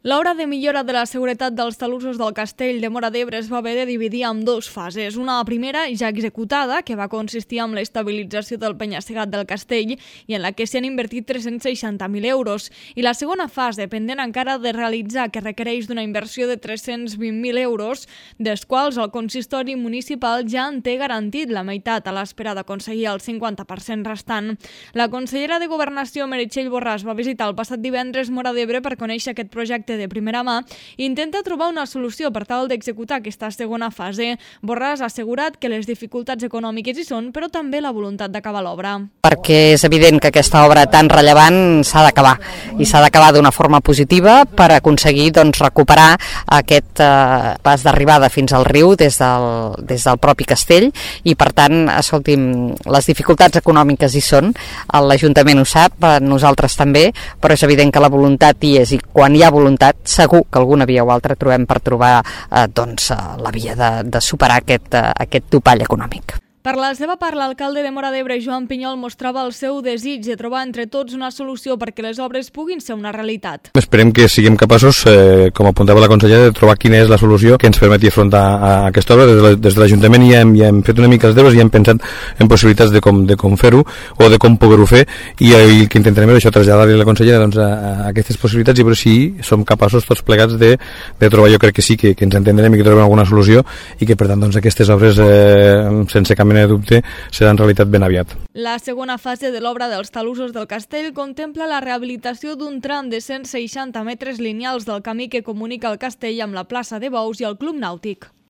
L'obra de millora de la seguretat dels talussos del castell de Móra d'Ebre es va haver de dividir en dues fases. Una primera ja executada, que va consistir en l'estabilització del penya-segat del castell i en la que s'hi han invertit 360.000 euros. I la segona fase, pendent encara de realitzar, que requereix d'una inversió de 320.000 euros, dels quals el consistori municipal ja en té garantit la meitat a l'espera d'aconseguir el 50% restant. La consellera de Governació, Meritxell Borràs, va visitar el passat divendres Móra d'Ebre per conèixer aquest projecte de primera mà i intenta trobar una solució per tal d'executar aquesta segona fase. Borràs ha assegurat que les dificultats econòmiques hi són, però també la voluntat d'acabar l'obra. Perquè és evident que aquesta obra tan rellevant s'ha d'acabar i s'ha d'acabar d'una forma positiva per aconseguir recuperar aquest pas d'arribada fins al riu des del propi castell i per tant, escolti'm, les dificultats econòmiques hi són, l'Ajuntament ho sap, nosaltres també, però és evident que la voluntat hi és i quan hi ha voluntat segur que alguna via o altra trobem per trobar la via de superar aquest topall econòmic. Per la seva part, l'alcalde de Móra d'Ebre, Joan Pinyol, mostrava el seu desig de trobar entre tots una solució perquè les obres puguin ser una realitat. Esperem que siguem capaços, com apuntava la consellera, de trobar quina és la solució que ens permeti afrontar a aquesta obra. Des de l'Ajuntament ja hem fet una mica els deures i hem pensat en possibilitats de com fer-ho o de com poder-ho fer i el que intentarem és això, traslladar-li a la consellera a aquestes possibilitats i veure si som capaços tots plegats de trobar, jo crec que sí, que ens entendrem i que trobem alguna solució i que per tant aquestes obres sense cap mena de dubte serà en realitat ben aviat. La segona fase de l'obra dels talussos del castell contempla la rehabilitació d'un tram de 160 metres lineals del camí que comunica el castell amb la plaça de Bous i el Club Nàutic.